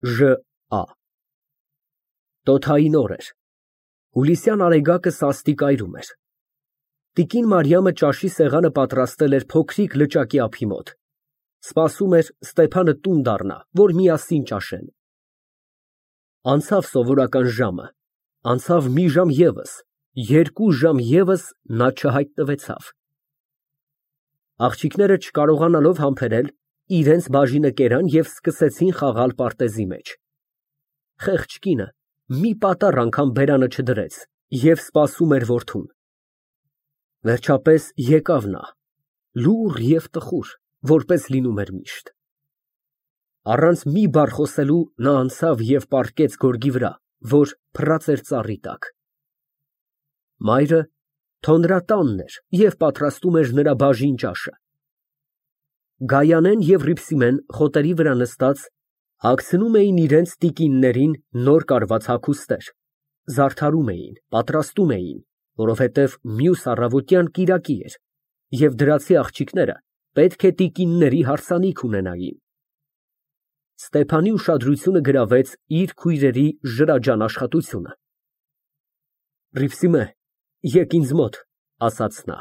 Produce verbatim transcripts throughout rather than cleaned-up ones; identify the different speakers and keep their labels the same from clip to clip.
Speaker 1: Ժ Ա Տոթային օր էր։ Հուլիսյան արեգակը սաստիկ այրում էր։ Տիկին Մարիամը ճաշի սեղանը պատրաստել էր փոքրիկ լճակի ափի մոտ, սպասում էր Ստեփանը տուն դառնա, որ միասին ճաշեն։ Անցավ սովորական ժամը, անցավ մի ժամ ևս, երկու ժամ ևս նա չհայտնվեցավ։ Աղջիկները չկարողանալով համբերել, իրենց բաժինը կերան և սկսեցին խաղալ պարտեզի մեջ։ Խեղճ կինը մի պատառ անգամ բերանը չդրեց և սպասում էր որդուն։ Վերջապես եկավ նա, լուռ և տխուր, որպես լինում էր միշտ։ Առանց մի բառ խոսելու նա անցավ և պառկեց գորգի վրա, որ փռած էր ծառի տակ։ Մայրը թոնրատանն էր և պատրաստում էր նրա բաժին ճաշը։ Գայանեն և Հռիփսիմեն խոտերի վրա նստած հագցնում էին իրենց տիկիններին նոր կարված հագուստներ, զարդարում էին, պատրաստում էին, որովհետև մյուս առավոտյան կիրակի էր, և դրացի աղջիկները պետք է տիկինների հարսանիք ունենային։ Ստեփանի ուշադրությունը գրավեց իր քույրերի ջրաջան աշխատությունը։ Հռիփսիմե, եկ ինձ մոտ, ասաց նա։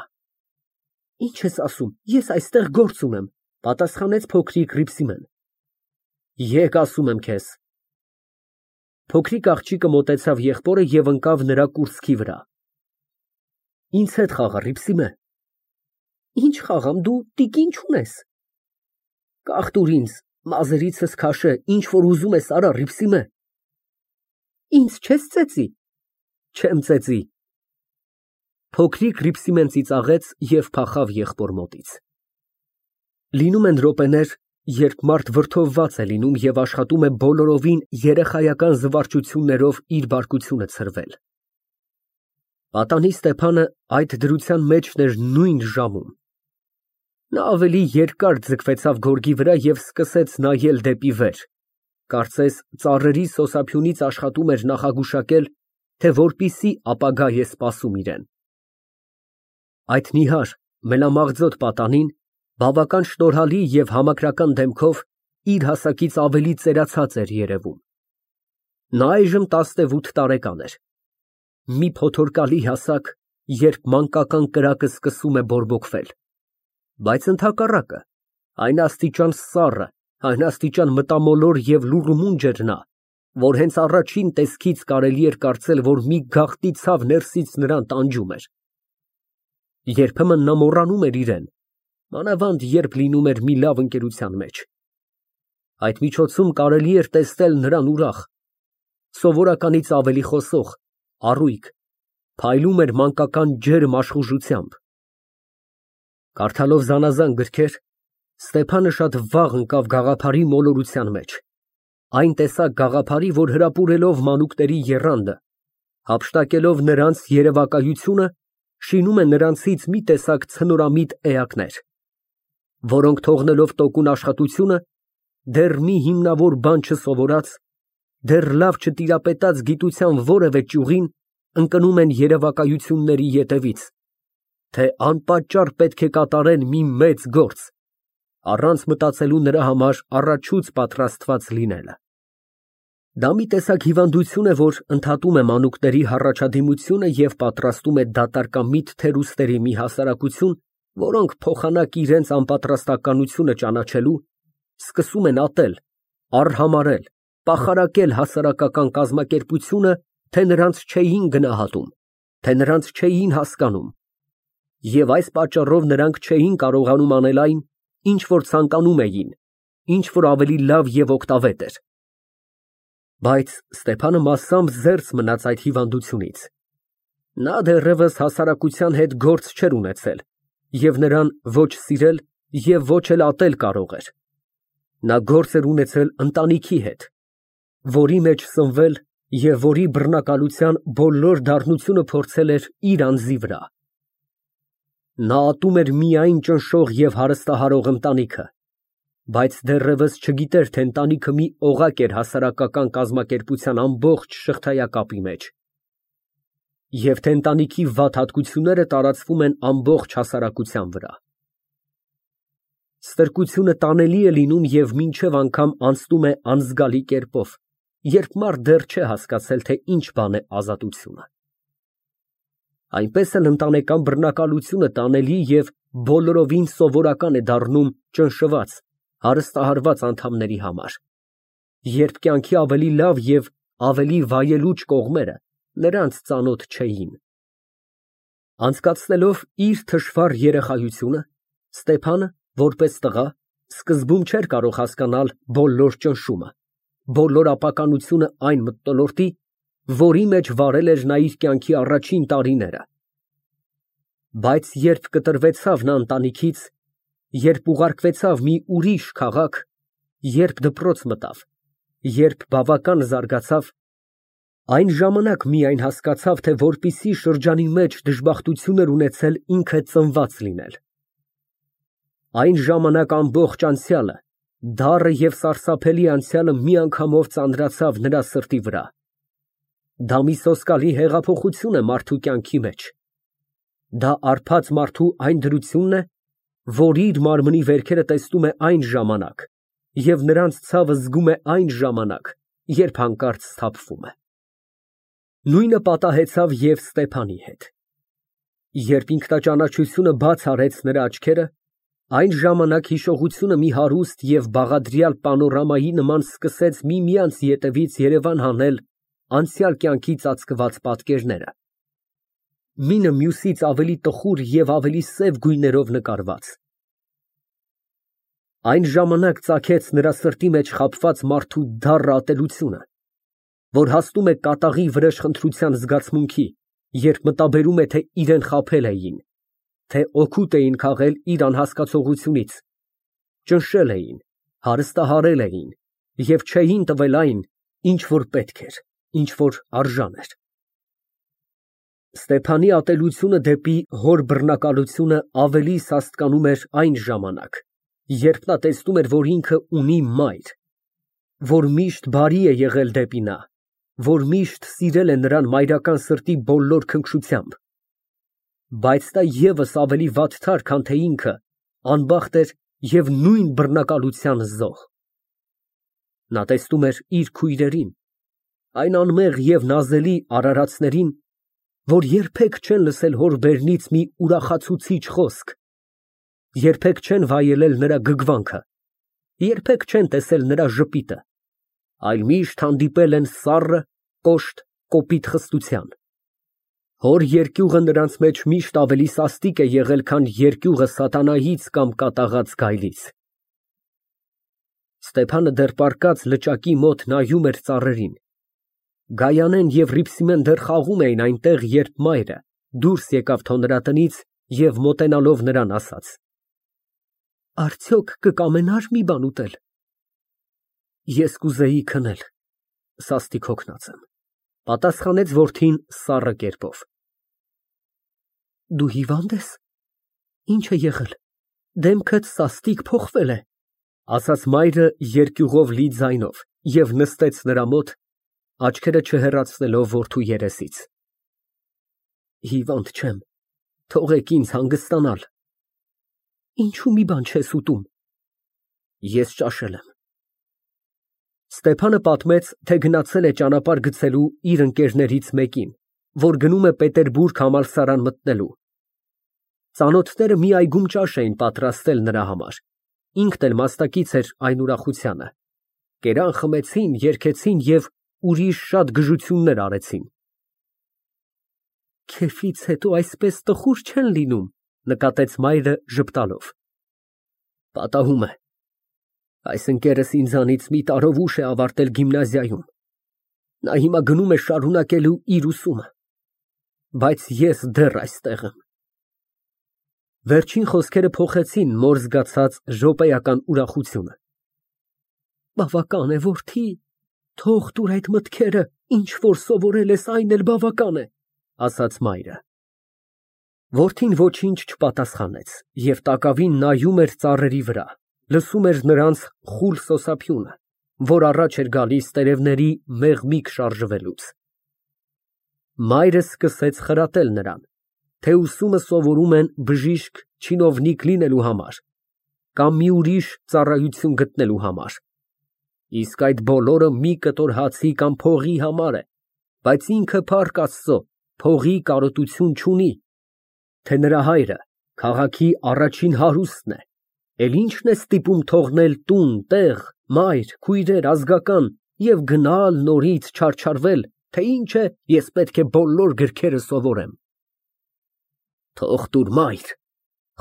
Speaker 1: Ինչ ես ասում, ես այստեղ գործ ունեմ, պատասխանեց փոքրիկ Հռիփսիմեն։ Եկ, ասում եմ քեզ։ Փոքրիկ աղջիկը մոտեցավ եղբորը և ընկավ նրա կուրծքի վրա։ Ինձ հետ խաղա, Հռիփսիմե։ Ինչ խաղամ, դու տիկին չունես։ Կախ տուր ինձ, մազերիցս քաշե, ինչ որ ուզում ես արա, Հռիփսիմե։ Ինձ չես ծեծի։ Չեմ ծեծի։ Փոքրիկ Հռիփսիմեն ծիծաղեց և փախավ եղբոր մոտից։ Լինում են րոպեներ, երբ մարդ վրդովված է լինում և աշխատում է բոլորովին երեխայական զվարճություններով իր բարկությունը ցրվել։ Պատանի Ստեփանը այդ դրության մեջն էր նույն ժամում։ Նա ավելի երկար ձգվեցավ գորգի վրա և սկսեց նայել դեպի վեր, կարծես ծառերի սոսափյունից աշխատում էր նախագուշակել, թե որպիսի ապագա է սպասում իրեն։ Այդ նիհար, մելամաղձոտ պատանին բավական շնորհալի և համակրական դեմքով իր հասակից ավելի ծերացած էր երևում։ Նա այժմ տասնութ տարեկան էր։ Մի փոթորկալի հասակ, երբ մանկական կրակը սկսում է բորբոքվել, բայց ընդհակառակը, այն աստիճան սառը, այն աստիճան մտամոլոր և լուռումունջ էր նա, որ հենց առաջին տեսքից կարելի էր կարծել, որ մի գաղտնի ցավ ներսից նրան տանջում էր։ Երբեմն նա մոռանում էր իրեն, մանավանդ երբ լինում էր մի լավ ընկերության մեջ։ Այդ միջոցում կարելի էր տեսնել նրան ուրախ, սովորականից ավելի խոսող, առույգ, փայլում էր մանկական ջերմ աշխուժությամբ։ Կարդալով զանազան գրքեր, Ստեփանը շատ վաղ ընկավ գաղափարի մոլորության մեջ, այն տեսակ գաղափարի, որ հրապուրելով մանուկների եռանդը, հափշտակելով նրանց երևակայությունը, շինում է նրանցից մի տեսակ ցնորամիտ էակներ, որոնք թողնելով տոկուն աշխատությունը, դեռ մի հիմնավոր բան չսովորած, դեռ լավ չտիրապետած գիտության որևէ ճյուղին, ընկնում են երևակայությունների ետևից, թե անպատճառ պետք է կատարեն մի մեծ գործ, առանց մտածելու նրա համար առաջուց պատրաստված լինելը։ Դա մի տեսակ հիվանդություն է, որ ընդհատում է մանուկների հառաջադիմությունը և պատրաստում է դատարկամիտ թերուստերի մի հասարակություն, որոնք փոխանակ իրենց անպատրաստականությունը ճանաչելու, սկսում են ատել, արհամարհել, պախարակել հասարակական կազմակերպությունը, թե նրանց չէին գնահատում, թե նրանց չէին հասկանում, և այս պատճառով նրանք չէին կարողանում անել այն, ինչ որ ցանկանում էին, ինչ որ ավելի լավ և օգտավետ էր։ Բայց Ստեփանը մասամբ զերծ մնաց այդ հիվանդությունից։ Նա դեռևս հասարակության հետ գործ չէր ունեցել և նրան ոչ սիրել և ոչ էլ ատել կարող էր։ Նա գործ էր ունեցել ընտանիքի հետ, որի մեջ սնվել և որի բռնակալության բոլոր դառնությունը փորձել էր իր անձի վրա։ Նա ատում էր միայն ճնշող և հարստահարող ընտանիքը, բայց դեռևս չգիտեր, թե ընտանիքը մի օղակ էր հասարակական կազմակերպության ամբողջ շղթայակապի մեջ, և թե ընտանիքի վատ հատկությունները տարածվում են ամբողջ հասարակության վրա։ Ստրկությունը տանելի է լինում և մինչև անգամ անցնում է անզգալի կերպով, երբ մարդ դեռ չէ հասկացել, թե ինչ բան է ազատությունը։ Այնպես էլ ընտանեկան բռնակալությունը տանելի և բոլորովին սովորական է դառնում ճնշված, հարստահարված անդամների համար, երբ կյանքի ավելի լավ և ավելի վայելուչ կողմերը նրանց ծանոթ չէին։ Անցկացնելով իր թշվառ երեխայությունը, Ստեփանը, որպես տղա, սկզբում չէր կարող հասկանալ բոլոր ճնշումը, բոլոր ապականությունը այն մթնոլորտի, որի մեջ վարել էր նա իր կյանքի առաջին տարիները։ Բայց երբ կտրվեցավ նա ընտանիքից, երբ ուղարկվեցավ մի ուրիշ քաղաք, երբ դպրոց մտավ, երբ բավական զարգացավ, այն ժամանակ միայն հասկացավ, թե որպիսի շրջանի մեջ դժբախտություն էր ունեցել ինքը ծնված լինել։ Այն ժամանակ ամբողջ անցյալը, դառը և սարսափելի անցյալը միանգամով ծանրացավ նրա սրտի վրա։ Դա մի սոսկալի հեղափոխություն է մարդու կյանքի մեջ։ Դա արբած մարդու այն դրությունն է, որ իր մարմնի վերքերը տեսնում է այն ժամանակ և նրանց ցավը զգում է այն ժամանակ, երբ հանկարծ սթափվում է։ Նույնը պատահեցավ և Ստեփանի հետ։ Երբ ինքնաճանաչությունը բաց արեց նրա աչքերը, այն ժամանակ հիշողությունը մի հարուստ և բաղադրյալ պանորամայի նման սկսեց միմյանց ետևից երևան հանել անցյալ կյանքի ծածկված պատկերները, մինը մյուսից ավելի տխուր և ավելի սև գույներով նկարված։ Այն ժամանակ ծագեց նրա սրտի մեջ խաբված մարդու դառը ատելությունը, որ հասնում է կատաղի վրեժխնդրության զգացմունքի, երբ մտաբերում է, թե իրան խաբել էին, թե օգուտ էին քաղել իր անհասկացողությունից, ճնշել էին, հարստահարել էին և չէին տվել այն, ինչ որ պետք էր, ինչ որ արժան էր։ Ստեփանի ատելությունը դեպի հոր բռնակալությունը ավելի սաստկանում էր այն ժամանակ, երբ նա տեսնում էր, որ ինքը ունի մայր, որ միշտ բարի է եղել դեպի նա, որ միշտ սիրել է նրան մայրական սրտի բոլոր քնքշությամբ, բայց նա ևս ավելի վատթար, քան թե ինքը, անբախտ էր և նույն բռնակալության զոհ։ Նա տեսնում էր իր քույրերին, այն անմեղ և նազելի արարածներին, որ երբեք չեն լսել հոր բերնից մի ուրախացուցիչ խոսք, երբեք չեն վայելել նրա գգվանքը, երբեք չեն տեսել նրա ժպիտը, այլ միշտ հանդիպել են սառը, կոշտ, կոպիտ խստության։ Հոր երկյուղը նրանց մեջ միշտ ավելի սաստիկ է եղել, քան երկյուղը սատանայից կամ կատաղած գայլից։ Ստեփանը դեռ պառկած լճակի մոտ նայում էր ծառերին։ Գայանեն և Հռիփսիմեն դեռ խաղում էին այնտեղ, երբ մայրը դուրս եկավ թոնրատնից և մոտենալով նրան ասաց. Արդյոք կկամենա՞ր մի բան ուտել։ Ես կուզեի քնել, սաստիկ հոգնած եմ, պատասխանեց որդին սառը կերպով։ Դու հիվա՞նդ ես։ Ինչ է եղել, դեմքդ սաստիկ փոխվել է, ասաց մայրը երկյուղով լի ձայնով և նստեց նրա մոտ, աչքերը չհեռացնելով որդու երեսից։ Հիվանդ չեմ, թողեք ինձ հանգստանալ։ Ինչու մի բան չես ուտում։ Ես ճաշել եմ։ Ստեփանը պատմեց, թե գնացել է ճանապարհ գցելու իր ընկերներից մեկին, որ գնում է Պետերբուրգ համալսարան մտնելու։ Ծանոթները մի այգում ճաշ էին պատրաստել նրա համար, ինքն էլ մասնակից էր այն ուրախությանը։ Կերան խմեցին, երգեցին և ուրիշ շատ գժություններ արեցին։ Քեֆից հետո այսպես տխուր չեն լինում, նկատեց մայրը ժպտալով։ Պատահում է։ Այս ընկերս ինձանից մի տարով ուշ է ավարտել գիմնազիայում։ Նա հիմա գնում է շարունակելու իր ուսումը։ Բայց ես դեռ այստեղ եմ։ Վերջին խոսքերը փոխեցին մոր զգացած րոպեական ուրախությունը։ Բավական է, որդի, թող տուր այդ մտքերը, ինչ որ սովորել ես, այն էլ բավական է, ասաց մայրը։ Որդին ոչինչ չպատասխանեց և տակավին նայում էր ծառերի վրա, լսում էր նրանց խուլ սոսափյունը, որ առաջ էր գալիս տերևների մեղմիկ շարժվելուց։ Մայրը սկսեց խրատել նրան, թե ուսումը սովորում են բժիշկ, չինովնիկ լինելու համար, կամ մի ուրիշ ծառայություն գտնելու համար։ Իսկ այդ բոլորը մի կտոր հացի կամ փողի համար է, բայց ինքը Փառք Աստծո փողի կարոտություն չունի, թե նրա հայրը քաղաքի առաջին հարուստն է, էլ ինչն է ստիպում թողնել տուն, տեղ, մայր, քույրեր, ազգական և գնալ նորից չարչարվել, թե ինչ է, ես պետք է բոլոր գրքերը սովորեմ։ Թող տուր, մայր,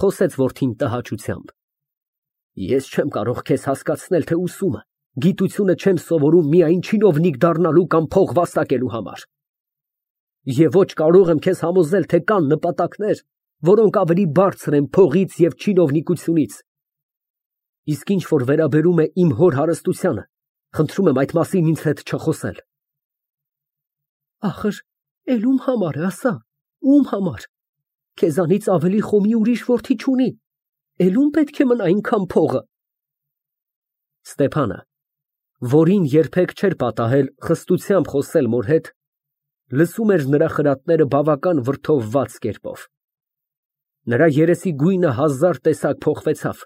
Speaker 1: խոսեց որդին տհաճությամբ, ես չեմ կարող քեզ հասկացնել, թե ուսումը, գիտությունը չեմ սովորում միայն չինովնիկ դառնալու կամ փող վաստակելու համար։ Եվ ոչ կարող եմ քեզ համոզել, թե կան նպատակներ, որոնք ավելի բարձր են փողից և չինովնիկությունից։ Իսկ ինչ որ վերաբերում է իմ հոր հարստությանը, խնդրում եմ այդ մասին ինձ հետ չխոսել։ Ախր, էլ ում համար է, ասա, ում համար։ Քեզանից ավելի խոմի ուրիշ որդի չունի, էլ ում պետք է մնա այնքան փողը։ Ստեփանը, որին երբեք չէր պատահել խստությամբ խոսել մոր հետ, լսում էր նրա խրատները բավական վրդովված կերպով։ Նրա երեսի գույնը հազար տեսակ փոխվեցավ,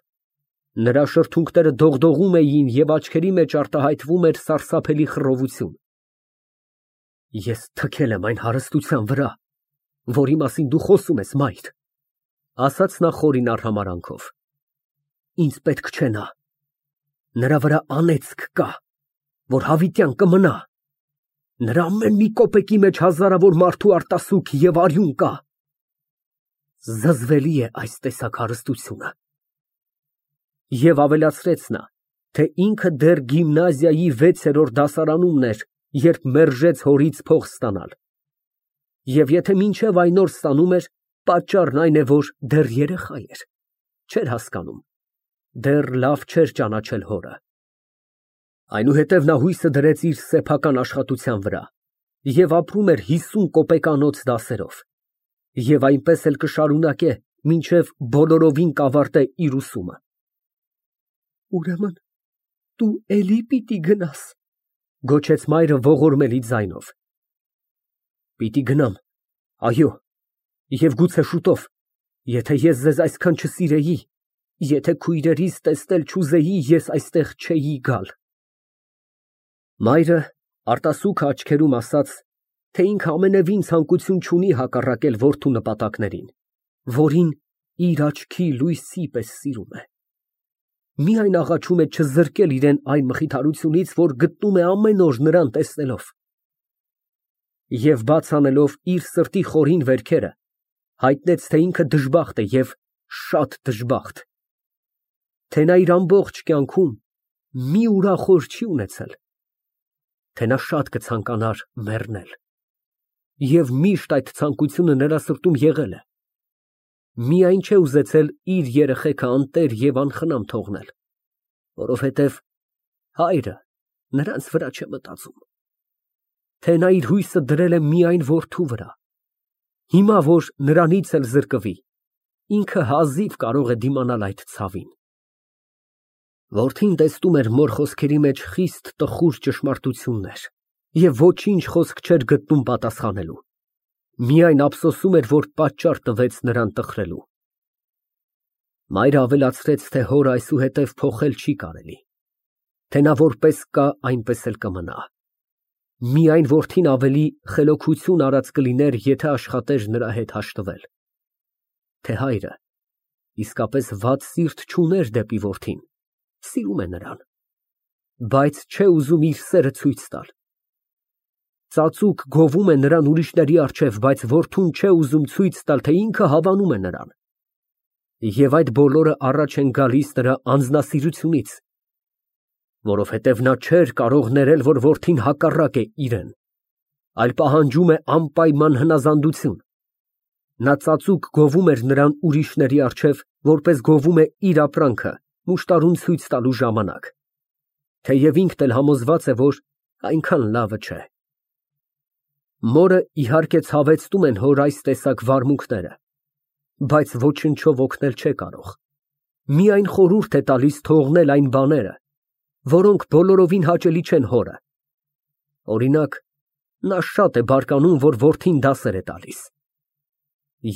Speaker 1: նրա շրթունքները դողդողում էին և աչքերի մեջ արտահայտվում էր սարսափելի խռովություն։ Ես թքել եմ այն հարստության վրա, որի մասին դու խոսում ես, մայր, ասաց նա խորին արհամարհանքով։ Ինձ պետք չէ նա, նրա վրա անեծք կա, որ հավիտյան կմնա, նրա ամեն մի կոպեկի մեջ հազարավոր մարդու արտասուք և արյուն կա։ Զզվելի է այս տեսակ հարստությունը։ Եվ ավելացրեց նա, թե ինքը դեռ գիմնազիայի վեցերորդ դասարանումն էր, երբ մերժեց հորից փող ստանալ։ Եվ եթե մինչև այն օր ստանում էր, պատճառն այն է, որ դեռ երեխա էր, չէր հասկանում, դեռ լավ չէր ճանաչել հորը։ Այնուհետև նա հույսը դրեց իր սեփական աշխատության վրա և ապրում էր հիսուն կոպեկանոց դասերով, և այնպես էլ կշարունակե, մինչև բոլորովին կավարտե իր ուսումը։ Ուրեմն դու էլի պիտի գնաս, գոչեց մայրը ողորմելի ձայնով։ Պիտի գնամ, այո, և գուցե շուտով, եթե ես ձեզ այսքան չսիրեի, եթե քույրերիս տեսնել չուզեի, ես այստեղ չէի գալ։ Մայրը արտասուքը աչքերում ասաց, թե ինքը ամենևին ցանկություն չունի հակառակել որդու նպատակներին, որին իր աչքի լույսի պես սիրում է։ Միայն աղաչում է չզրկել իրեն այն մխիթարությունից, որ գտնում է ամեն օր նրան տեսնելով։ Եվ բաց անելով իր սրտի խորին վերքերը, հայտնեց, թե ինքը դժբախտ է և շատ դժբախտ, թե նա իր ամբողջ կյանքում մի ուրախ օր չի ունեցել, թե նա շատ կցանկանար մեռնել, և միշտ այդ ցանկությունը նրա սրտում եղել է, միայն չէ ուզեցել իր երեխեքը անտեր և անխնամ թողնել, որովհետև հայրը նրանց վրա չէ մտածում, թե նա իր հույսը դրել է միայն որդու վրա, հիմա որ նրանից էլ զրկվի, ինքը հազիվ կարող է դիմանալ այդ ցավին։ Որդին տեսնում էր մոր խոսքերի մեջ խիստ տխուր ճշմարտություններ և ոչինչ խոսք չէր գտնում պատասխանելու, միայն ափսոսում էր, որ պատճառ տվեց նրան տխրելու։ Մայրը ավելացրեց, թե հորը այսուհետև փոխել չի կարելի, թե նա որպես կա, այնպես էլ կմնա, միայն որդին ավելի խելոքություն արած կլիներ, եթե աշխատեր նրա հետ հաշտվել, թե հայրը իսկապես վատ սիրտ չուներ դեպի որդին, սիրում է նրան, բայց չէ ուզում իր սերը ցույց տալ։ Ծածուկ գովում է նրան ուրիշների առջև, բայց որդուն չէ ուզում ցույց տալ, թե ինքը հավանում է նրան։ Եվ այդ բոլորը առաջ են գալիս նրա անձնասիրությունից, որովհետև նա չէր կարող ներել, որ որդին հակառակ է իրեն, այլ պահանջում է անպայման հնազանդություն։ Նա ծածուկ գովում էր նրան ուրիշների առջև, որպես գովում է իր ապրանքը, մուշտարուն ցույց տալու ժամանակ, թեև ինքն էլ համոզված է, որ այնքան լավը չէ։ Մորը իհարկե ցավեցնում են հոր այս տեսակ վարմունքները, բայց ոչնչով օգնել չէ կարող, միայն խորհուրդ է տալիս թողնել այն բաները, որոնք բոլորովին հաճելի չեն հորը։ Օրինակ, նա շատ է բարկանում, որ որդին դասեր է տալիս։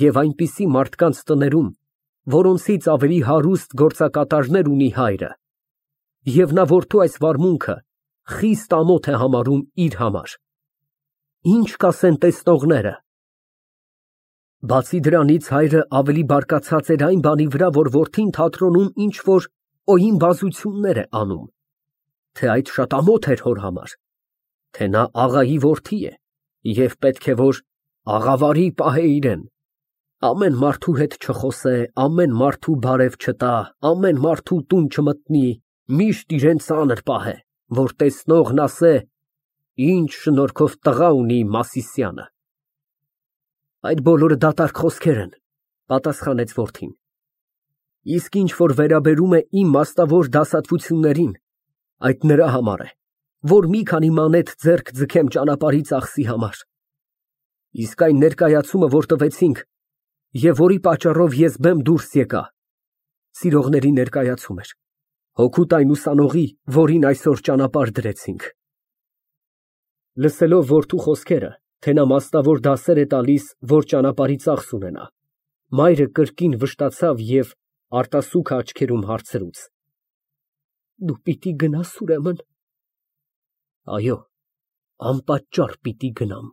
Speaker 1: Եվ այնպիսի մարդկանց տներում որոնցից ավելի հարուստ գործակատարներ ունի հայրը, և նա որդու այս վարմունքը խիստ ամոթ է համարում իր համար։ Ինչ կասեն տեսնողները։ Բացի դրանից հայրը ավելի բարկացած էր այն բանի վրա, որ որդին թատրոնում ինչ-որ օյին֊բազություններ է անում, թե այդ շատ ամոթ էր հոր համար, թե նա աղայի որդի է և պետք է, որ աղավարի պահե իրեն, ամեն մարդու հետ չխոսե, ամեն մարդու բարև չտա, ամեն մարդու տուն չմտնի, միշտ իրան ծանր պահե, որ տեսնողն ասե. «Ինչ շնորհքով տղա ունի Մասիսյանը»։ Այդ բոլորը դատարկ խոսքեր են, պատասխանեց որդին, իսկ ինչ որ վերաբերում է իմ մասնավոր դասատվություններին, այդ նրա համար է, որ մի քանի մանեթ ձեռք ձգեմ ճանապարհի ծախսի համար, իսկ այն ներկայացումը, որ տվեցինք և որի պատճառով ես բեմ դուրս եկա, սիրողների ներկայացում էր, հօգուտ այն ուսանողի, որին այսօր ճանապարհ դրեցինք։ Լսելով որդու խոսքերը, թե նա մասնավոր դասեր է տալիս, որ ճանապարհի ծախս ունենա, մայրը կրկին վշտացավ և արտասուքը աչքերում հարցրուց. Դու պիտի գնա՞ս ուրեմն։ Այո, անպատճառ պիտի գնամ։